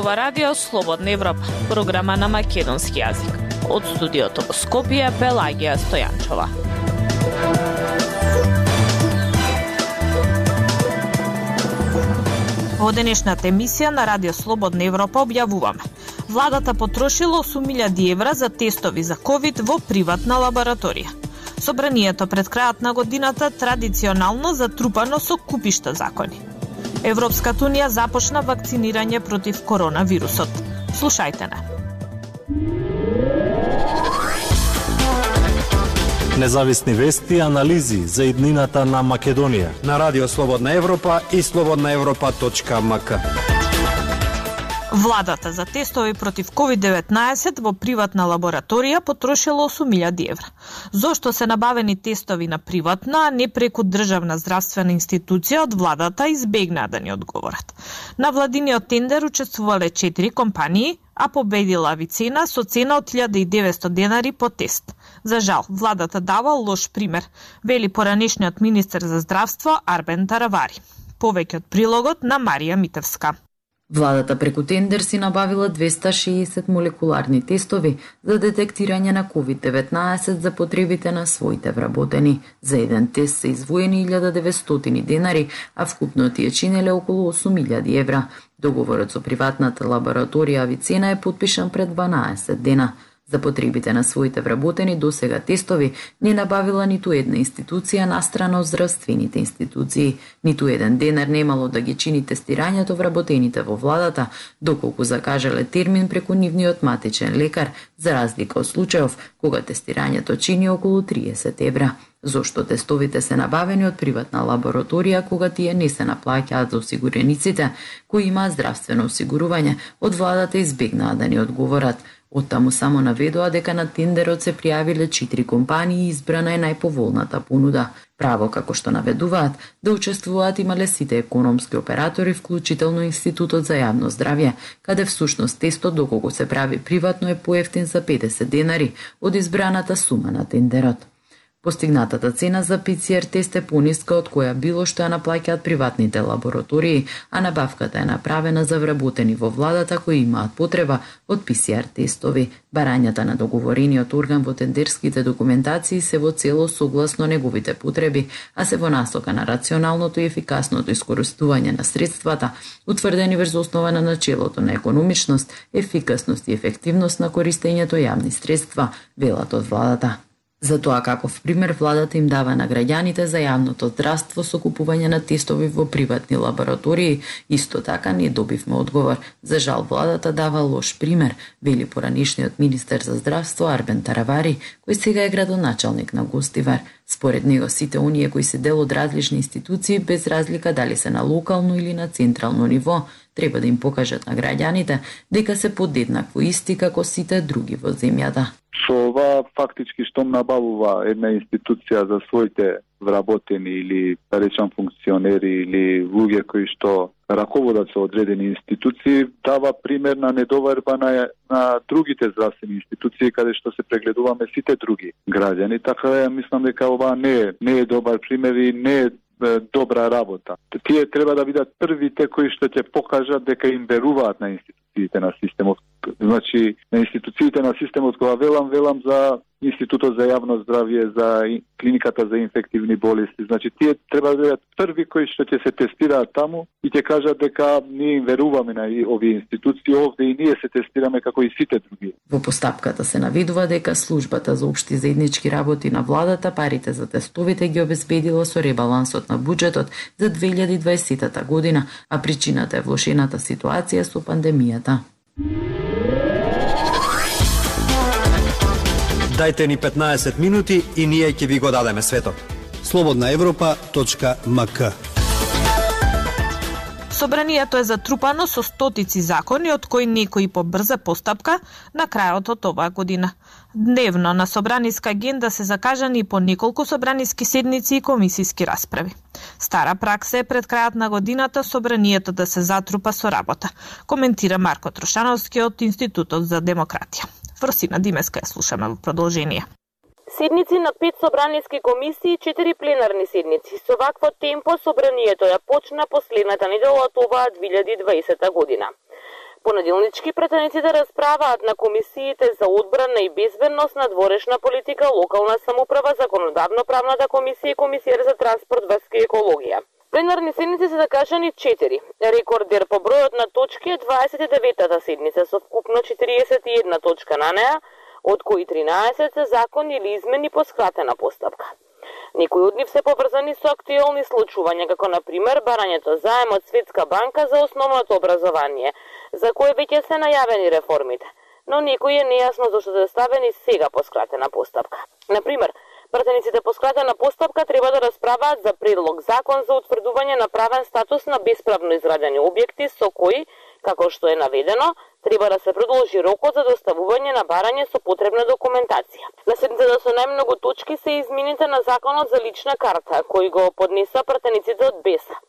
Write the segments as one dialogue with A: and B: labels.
A: ова радио Слободна Европа, програма на македонски јазик. Од студиото во Скопје, Пелагија Стојанчова. Во денешната емисија на Радио Слободна Европа објавуваме: владата потрошила 8.000 евра за тестови за ковид во приватна лабораторија. Собранието пред крајот на годината традиционално затрупано со купишта закони. Европската унија започна вакцинирање против коронавирусот. Слушајте не.
B: Независни вести и анализи за иднината на Македонија
C: на Радио Слободна Европа и slobodnaevropa.mk.
A: Владата за тестови против COVID-19 во приватна лабораторија потрошила 8.000 евра. Зошто се набавени тестови на приватна, а не преку државна здравствена институција, од владата избегнаа да ни одговорат. На владиниот тендер учествувале 4 компании, а победила Авицена со цена од 1.900 денари по тест. За жал, владата дава лош пример, вели поранешниот министер за здравство Арбен Таравари. Повеќе од прилогот на Марија Митевска.
D: Владата преку тендер си набавила 260 молекуларни тестови за детектирање на COVID-19 за потребите на своите вработени. За еден тест се издвоени 1.900 денари, а вкупно тие чинеле околу 8.000 евра. Договорот со приватната лабораторија Авицена е подпишан пред 12 дена. За потребите на своите вработени досега тестови не набавила ниту една институција настрана од здравствените институции. Ниту еден денар немало да ги чини тестирањето вработените во владата, доколку закажале термин преку нивниот матичен лекар, за разлика од случајов кога тестирањето чини околу 30 евра. Зошто тестовите се набавени од приватна лабораторија кога тие не се наплаќаат за осигурениците кои имаат здравствено осигурување, од владата избегнаа да ни одговорат. Оттаму само наведоа дека на тендерот се пријавиле 4 компании и избрана е најповолната понуда. Право, како што наведуваат, да учествуваат имале сите економски оператори, вклучително Институтот за јавно здравје, каде всушност тестот доколку се прави приватно е поевтин за 50 денари од избраната сума на тендерот. Постигнатата цена за ПЦР тест е пониска од која било што ја наплаќаат приватните лаборатории, а набавката е направена за вработени во владата кои имаат потреба од ПЦР тестови. Барањата на договорениот орган во тендерските документации се во цело согласно неговите потреби, а се во насока на рационалното и ефикасното искористување на средствата, утврдени врз основа на начелото на економичност, ефикасност и ефективност на користењето јавни средства, велат од владата. Затоа каков пример владата им дава на граѓаните за јавното здравство со купување на тестови во приватни лаборатории, исто така не добивме одговор. За жал владата дава лош пример, вели поранешниот министер за здравство Арбен Таравари, кој сега е градоначалник на Гостивар. Според него сите оние кои се дел од различни институции, без разлика дали се на локално или на централно ниво, треба да им покажат на граѓаните дека се подеднакво исти како сите други во земјата.
E: Со ова фактички штом набавува една институција за своите вработени или, да речам, функционери или луѓе кои што раководат со одредени институции, дава пример на недоверба на другите здравствени институции каде што се прегледуваме сите други граѓани. Така ја мислам дека ова не е добар пример и не е добра работа. Тие треба да бидат првите кои што ќе покажат дека им веруваат на институциите на системот. Значи, на институциите на системот, кога велам за Институтот за јавно здравје, за клиниката за инфективни болести. Значи, тие треба да бидат први кои што ќе се тестираат таму и ќе кажат дека ние им веруваме на овие институции, овде и ние се тестираме како и сите други.
D: Во постапката се наведува дека службата за општи заеднички работи на владата парите за тестовите ги обезбедила со ребалансот на буџетот за 2020 година, а причината е влошената ситуација со пандемијата.
C: Дајте ни 15 минути и ние ќе ви го дадеме светот. slobodnaevropa.mk.
A: Собранието е затрупано со стотици закони, од кои некои по брза постапка на крајот од оваа година. Дневно на собраниска агенда се закажани по неколку собраниски седници и комисиски расправи. Стара пракса е пред крајот на годината собранието да се затрупа со работа, коментира Марко Трошановски од Институтот за демократија. Фросина Димеска ја слушаме во продолжение.
F: Седници на 5 собраниски комисии и 4 пленарни седници. Со вакво темпо собранието ја почна последната недела од оваа 2020 година. Понеделнички претениците расправаат на комисиите за одбрана и безбедност, надворешна политика, локална самоуправа, законодавно-правната комисија и комисија за транспорт, врска и екологија. Пленарни седници се закажани 4. Рекордер по бројот на точки е 29-та седница со вкупно 41 точка на неа, од кои 13 се закони или измени по скратена постапка. Некои од нив се поврзани со актуелни случувања, како на пример барањето заем од Светска банка за основното образование, за кое веќе се најавени реформите, но некои е нејасно зашто се ставени сега по скратена постапка. На пример, пратениците по скратена постапка треба да расправаат за предлог закон за утврдување на правен статус на бесправно изградени објекти со кои, како што е наведено, треба да се продолжи рокот за доставување на барање со потребна документација. На седницата со најмногу точки се измените на законот за лична карта, кој го поднеса пратениците од БЕСА.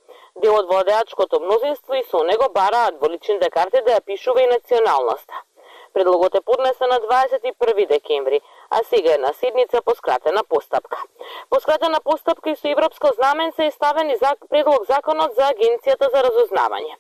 F: Дел од владеачкото мнозинство и со него бараат во личните карти да ја пишува и националноста. Предлогот е поднесен на 21 декември, а сега е на седница по скратена постапка. По скратена постапка и со европско знамен се ставени предлог законот за Агенцијата за разузнавање.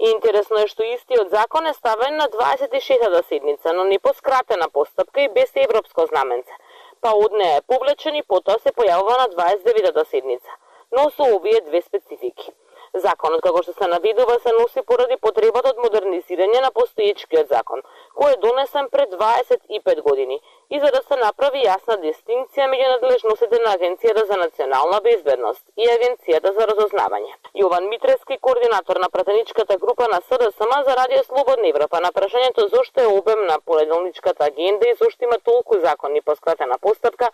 F: И интересно е што истиот закон е ставен на 26-та седница, но не по скратена постапка и без европско знаменце. Па од неја е повлечен и потоа се појавува на 29-та седница, но со овие две специфики. Законот, како што се наведува, се носи поради потребата од модернизирање на постоечкиот закон, кој е донесен пред 25 години, и за да се направи јасна дистинкција меѓу надлежностите на Агенцијата за национална безбедност и Агенцијата за разузнавање. Јован Митрески, координатор на пратеничката група на СДСМ за Радио Слободна Европа, на прашањето зошто е обемна понеделничката агенда и зошто има толку закони по скратена постапка,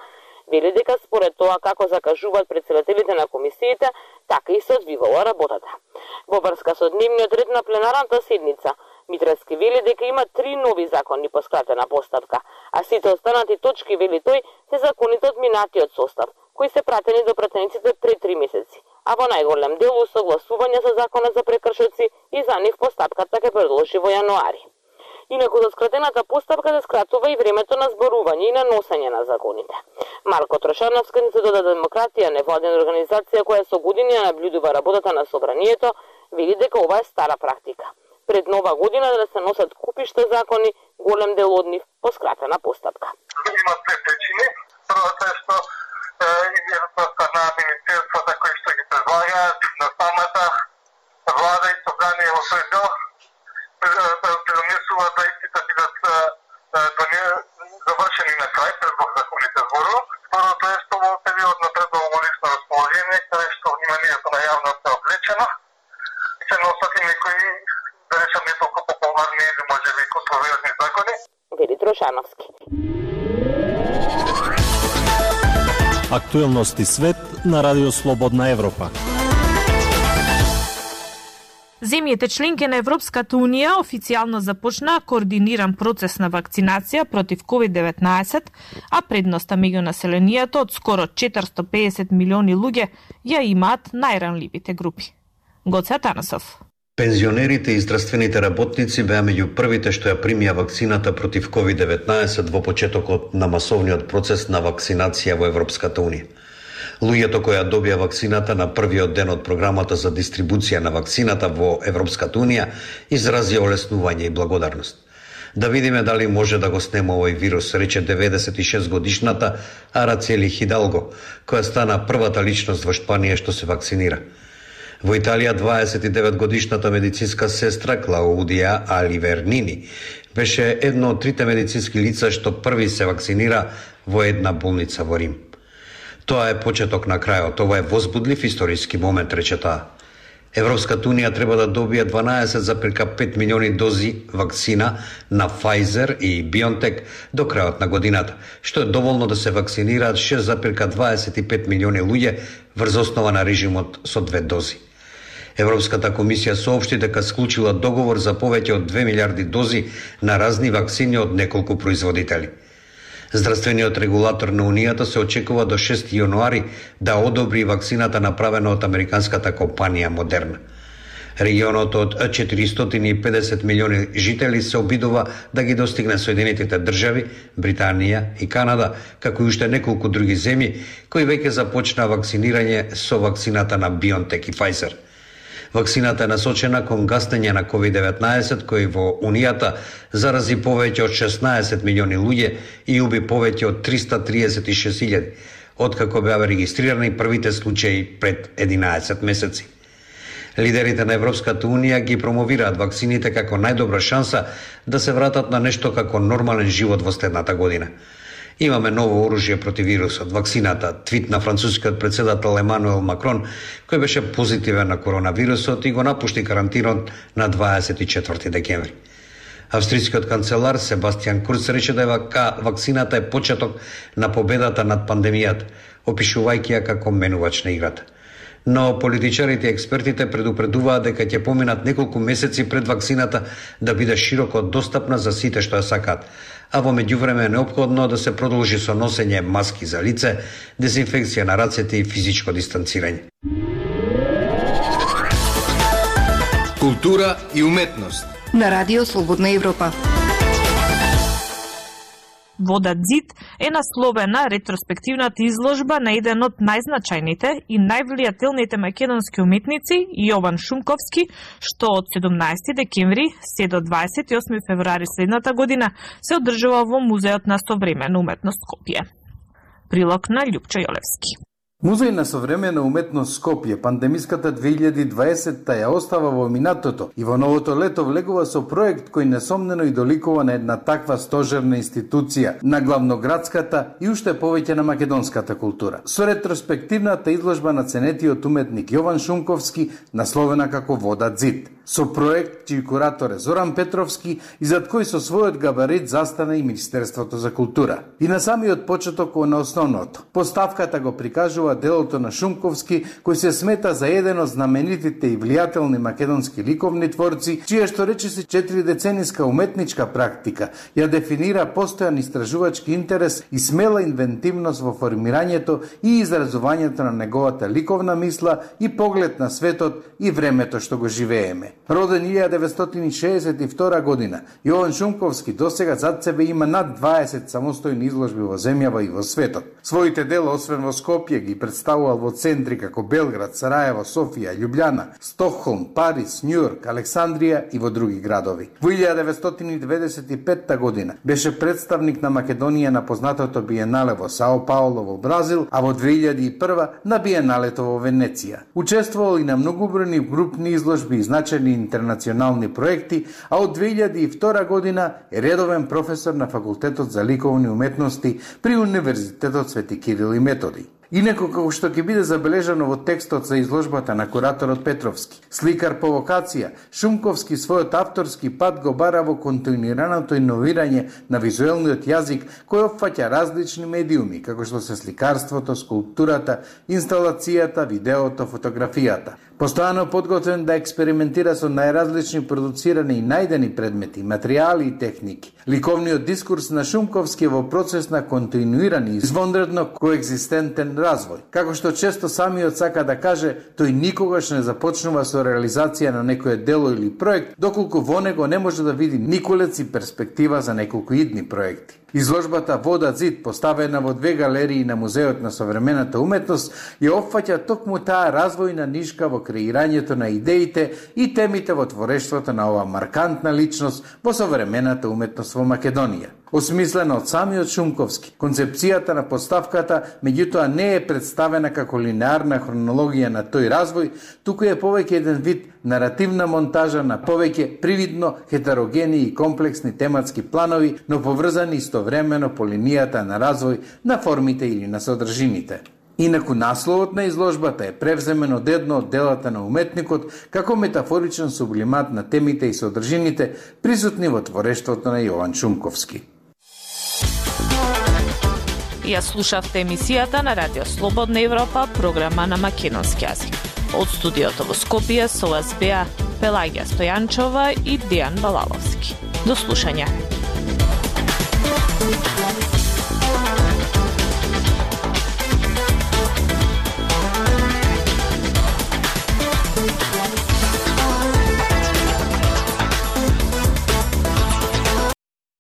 F: вели дека според тоа како закажуваат претседателите на комисиите, така и се одвивала работата. Во врска со дневниот ред на пленарната седница, Митрески вели дека има 3 нови закони по скратена постапка, а сите останати точки, вели тој, се законите од минатиот состав, кои се пратени до пратениците пред 3 месеци, а во најголем дел усогласување со законот за прекршоци и за нив постапката ќе продолжи во јануари. Инаку за скратената постапка се скратува и времето на зборување и на носење на законите. Марко Трошановски, Институт за демократија, невладена организација која со години наблюдува работата на собранието, вели дека ова е стара практика. Пред нова година да се носат купишта закони, голем дел од нив по скратена постапка.
G: Има две причини. Првата е што изјавата на министерствата кои што ги предлагаат на самата влада и собрание во свој дел предонесува да истите бидат завршени на крај пред законите зборува. Второто е што во период на преддолголично расположение, каде што вниманието на јавност е облечено, се носат и некои, да речам, не толку популарни или можеби контроверзни закони.
F: Вели Трошановски.
B: Актуелности свет на Радио Слободна Европа.
A: Земјите членки на Европската Унија официјално започнаа координиран процес на вакцинација против COVID-19, а предноста меѓу населението од скоро 450 милиони луѓе ја имаат најранливите групи. Гоце Атанасов.
H: Пензионерите и здравствените работници беа меѓу првите што ја примија вакцината против COVID-19 во почетокот на масовниот процес на вакцинација во Европската Унија. Луѓето кои ја добија вакцината на првиот ден од програмата за дистрибуција на вакцината во Европската Унија изразија олеснување и благодарност. Да видиме дали може да го снема овој вирус, рече 96 годишната Арацели Хидалго, која стана првата личност во Шпанија што се вакцинира. Во Италија 29 годишната медицинска сестра Клаудија Аливернини беше едно од трите медицински лица што први се вакцинира во една болница во Рим. Тоа е почеток на крајот, ова е возбудлив историски момент, рече таа. Европската Унија треба да добие 12,5 милиони дози вакцина на Pfizer и BioNTech до крајот на годината, што е доволно да се вакцинираат 6,25 милиони луѓе врз основа на режимот со 2 дози. Европската комисија соопшти дека склучила договор за повеќе од 2 милиарди дози на разни вакцини од неколку производители. Здравствениот регулатор на Унијата се очекува до 6 јануари да одобри вакцината направена од американската компанија Модерна. Регионот од 450 милиони жители се обидува да ги достигне Соединетите држави, Британија и Канада, како и уште неколку други земји кои веќе започна вакцинирање со вакцината на BioNTech и Pfizer. Вакцината е насочена кон гаснење на COVID-19, кој во Унијата зарази повеќе од 16 милиони луѓе и уби повеќе од 336.000, откако беа регистрирани првите случаи пред 11 месеци. Лидерите на Европската Унија ги промовираат вакцините како најдобра шанса да се вратат на нешто како нормален живот во следната година. Имаме ново оружје против вирусот, вакцината, твит на францускиот председател Емануел Макрон, кој беше позитивен на коронавирусот и го напушти карантинот на 24 декември. Австрискиот канцелар Себастијан Курц рече дека вакцината е почеток на победата над пандемијата, опишувајќи ја како менувач на играта. Но политичарите и експертите предупредуваат дека ќе поминат неколку месеци пред вакцината да биде широко достапна за сите што ја сакаат, а во меѓувреме е неопходно да се продолжи со носење маски за лице, дезинфекција на рацете и физичко дистанцирање.
I: Култура и уметност
J: на Радио Слободна Европа.
A: Вода Зид е насловена ретроспективната изложба на еден од најзначајните и највлијателните македонски уметници Јован Шумковски, што од 17 декември се до 28 февруари следната година се одржува во Музеот на современа уметност Скопје. Прилог на Љупчо Јолевски.
K: Музеј на современа уметност Скопје пандемиската 2020 ја остава во минатото и во новото лето влегува со проект кој несомнено и доликува на една таква стожерна институција на главноградската и уште повеќе на македонската култура. Со ретроспективната изложба на ценетиот уметник Јован Шумковски, насловена како Вода Зид. Со проект чиј куратор е Зоран Петровски и зад кој со својот габарит застана и Министерството за култура. И на самиот почеток на основното. Поставката го прикажува делото на Шумковски, кој се смета за еден од знаменитите и влијателни македонски ликовни творци, чија што речиси 4-децениска уметничка практика ја дефинира постојан истражувачки интерес и смела инвентивност во формирањето и изразувањето на неговата ликовна мисла и поглед на светот и времето што го живееме. Роден 1962 година, Јован Шумковски досега зад себе има над 20 самостојни изложби во земјава и во светот. Своите дела, освен во Скопје, ги представувал во центри како Белград, Сараево, Софија, Љубљана, Стокхолм, Париз, Њујорк, Александрија и во други градови. Во 1995 година беше представник на Македонија на познатото биенале во Сао Пауло во Бразил, а во 2001 на биеналето во Венеција. Учествувал и на многобројни групни изложби и значајни интернационални проекти, а од 2002 година е редовен професор на Факултетот за ликовни уметности при Универзитетот Свети Кирил и Методи. Инаку, како што ќе биде забележано во текстот за изложбата на кураторот Петровски, сликар по вокација, Шумковски својот авторски пат го бара во континуираното иновирање на визуелниот јазик кој опфаќа различни медиуми, како што се сликарството, скулптурата, инсталацијата, видеото, фотографијата. Постојано подготвен да експериментира со најразлични продуцирани и најдени предмети, материјали и техники. Ликовниот дискурс на Шумковски е во процес на континуиран и извонредно коекзистентен развој. Како што често самиот сака да каже, тој никогаш не започнува со реализација на некое дело или проект, доколку во него не може да види николец и перспектива за неколку идни проекти. Изложбата Вода Зид, поставена во 2 галерии на Музеот на современата уметност, ја опфаќа токму таа развојна нишка во креирањето на идеите и темите во творештвото на ова маркантна личност во современата уметност во Македонија. Осмислена од самиот Шумковски, концепцијата на поставката меѓутоа не е представена како линеарна хронологија на тој развој, туку е повеќе еден вид наративна монтажа на повеќе привидно хетерогени и комплексни тематски планови, но поврзани истовремено по линијата на развој на формите или на содржините. Инаку насловот на изложбата е превземен од едно од делата на уметникот како метафоричен сублимат на темите и содржините присутни во творештвото на Јован Шумковски.
A: Ја слушавте емисијата на Радио Слободна Европа, програма на македонски јазик. Од студиото во Скопје со вас беа Пелагија Стојанчова и Дејан Балаловски. До слушање.